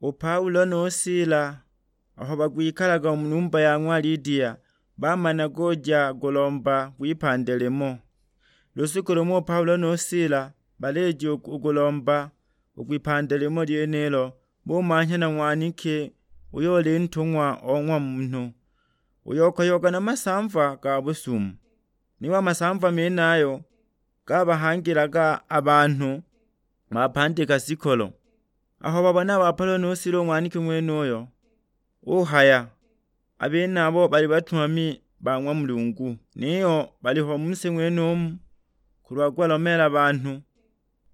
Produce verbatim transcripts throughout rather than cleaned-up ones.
U Paulo nu Sila aho bagwikalaga u mu numba ya ng'wa Lidia, bamanaga uja kulomba kwipande limo. Lusuku lumo u Paulo nu Sila balija u kulomba u kwipande limo lyenilo, bumanhya na ng'waniki uyo oli ntung'wa o ng'wa munhu, uyo okoyoga na masamva ga busumu. Niyo a masamva menayo gabahangilaga a banhu bapandika shikolo. Aho babona a ba Paulo nu Sila u ng'waniki ng'wenuyo, uhaya, "A benabo bali batumami ba ng'wa Mulungu, niyo baliho mu si ng'wenumu kulwa kubalomeela banhu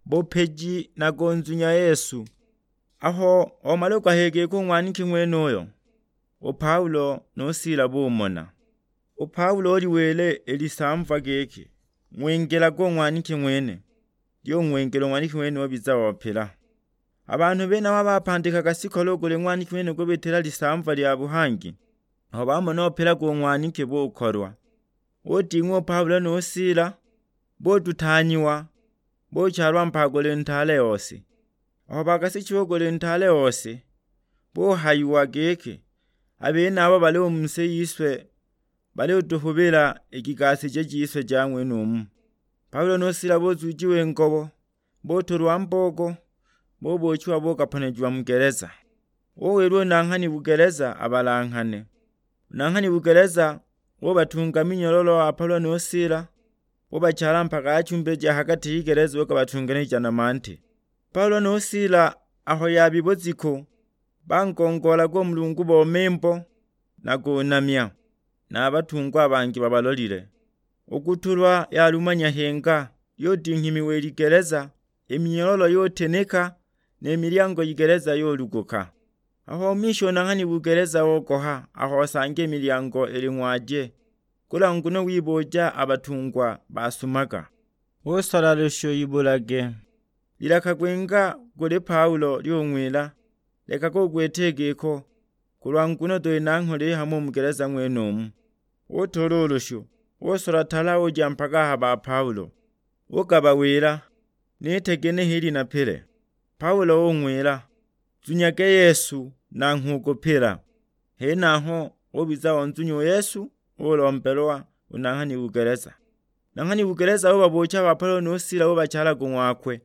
bupiji na kunzunya Yesu." Aho omala u kuhaya giko u ng'waniki ng'wenuyo, u Paulo nu Sila bumona. U Paulo uliwila i lisamva giki, "Ng'wingilage u ng'waniki ng'wene." Lyung'wingila u ng'waniki ng'wene ubiza opila. A banhu benabo abapandikaga shikolo u kuli ng'waniki ng'wene kubitila lisamva lya buhangi, aho bamona upilaga u ng'waniki bukolwa. Uding'wa u Paulo nu Sila, bututanyiwa, buchalwa mpaguli ntaale ose. Aho bakasichiwa u kuli ntaale ose, buhayiwa giki, "A benabo bali u mu si yise, bali utuhubila i kigasije jise ja ng'wenumu." Paulo nu Sila buzujiwa i ngobo, butulwa mbogo, bubuuchiwa bukaponejiwa mu geleza. Uwilwa u nanghani bugeleza abalanghane. U nanghani bugeleza ubatunga minyololo a Paulo nu Sila, ubachala mpaka achumbe ja ha gati y'igeleza ukabatunganija na mante. Paulo nu Sila aho yabi buziku, bangongoolaga u Mulungu bo mimbo na kunamya, na a batungwa a bangi babalolile. U kutulwa yalumanya hinga, yudinghimiwa i ligeleza, i minyololo yutinika, ni milyango yigeleza yuluguka. Aho umisha u nanghani bugeleza ogoha aho osanga i milyango ili ng'waje, kulwa nguno wibuuja a batungwa basumaga. Usola lushu ibulage. Lilaka gwinga guli Paulo lyung'wila, "Lekaga ugwite giko, kulwa nguno tuli na ngholo ihamo u mu geleza ng'wenumu." Utuula u lushu, usola tala uja mpaka a ha ba Paulo. Ugabawila, "Nite ginehe ili napile?" Paulo ung'wila, "Nzunyage Yesu, nanghwe ukupila." Henaho ubiza onzunya u Yesu, ulombelwa u nanghani bugeleza. Nanghani bugeleza ubabuucha a ba Paulo nu Sila ubachalaga u ng'wakwe.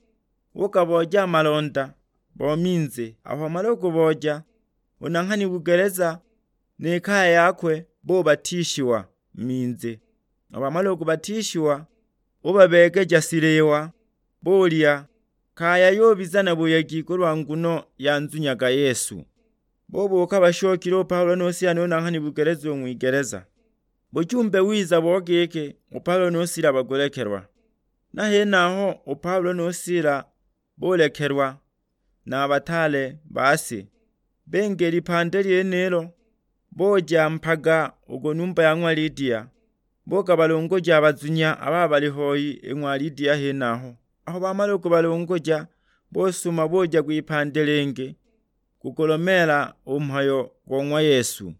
Ugabooja a malonda bo minze, aho wamala u kubooja, u nanghani bugeleza ni kaya yakwe bubatishiwa mu minze. Aho bamala u kubatishiwa, ubabeegeja shiliwa, bulya, kaya yubiza na buyegi kulwa nguno yanzunyaga Yesu. Bubuuka bashokile u Paulo nu Sila nu nanghani bugeleza u ng'wigeleza. Bujumbe wiza bo giki u Paulo nu Sila bagulekelwa. Na henaho u Paulo nu Sila bulekelwa na a bataale ba si, binga i lipande lyenilo, buja mpaga u ku numba ya ng'wa Lidia, bukabalunguja a bazunya abo bali hoi i ng'wa Lidia henaho. Aho bamala u kubalunguja, busuma buja kwipande lingi kugulomeela u mhayo go ng'wa Yesu.